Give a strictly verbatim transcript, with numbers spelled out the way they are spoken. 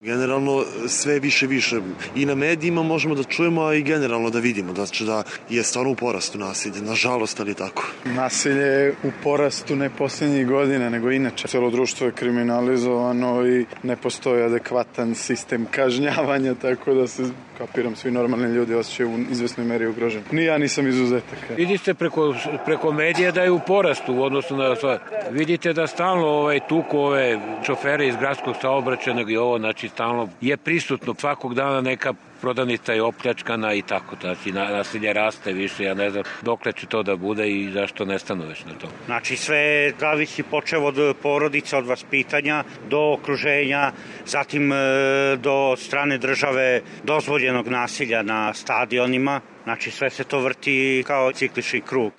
Generalno sve više više i na medijima možemo da čujemo, a i generalno da vidimo znači da je stvarno u porastu nasilje, nažalost, ali tako. Nasilje je u porastu ne posljednjih godina, nego inače. Celo društvo je kriminalizovano i ne postoji adekvatan sistem kažnjavanja, tako da se, kapiram, svi normalni ljudi osjećaju u izvesnoj meri ugroženi. Ni ja nisam izuzetak. Vidite preko, preko medija da je u porastu u odnosu na sva. Vidite da stalno ovaj, tuku ove šofere iz gradskog saobraćajnog i ovo, znači stalno je prisutno svakog dana neka prodanica je opljačkana i tako, znači nasilje raste više, ja ne znam dokle će to da bude i zašto ne stanu već na to. Znači sve zavisi počev od porodice, od vaspitanja do okruženja, zatim do strane države dozvoljenog nasilja na stadionima, znači sve se to vrti kao ciklični krug.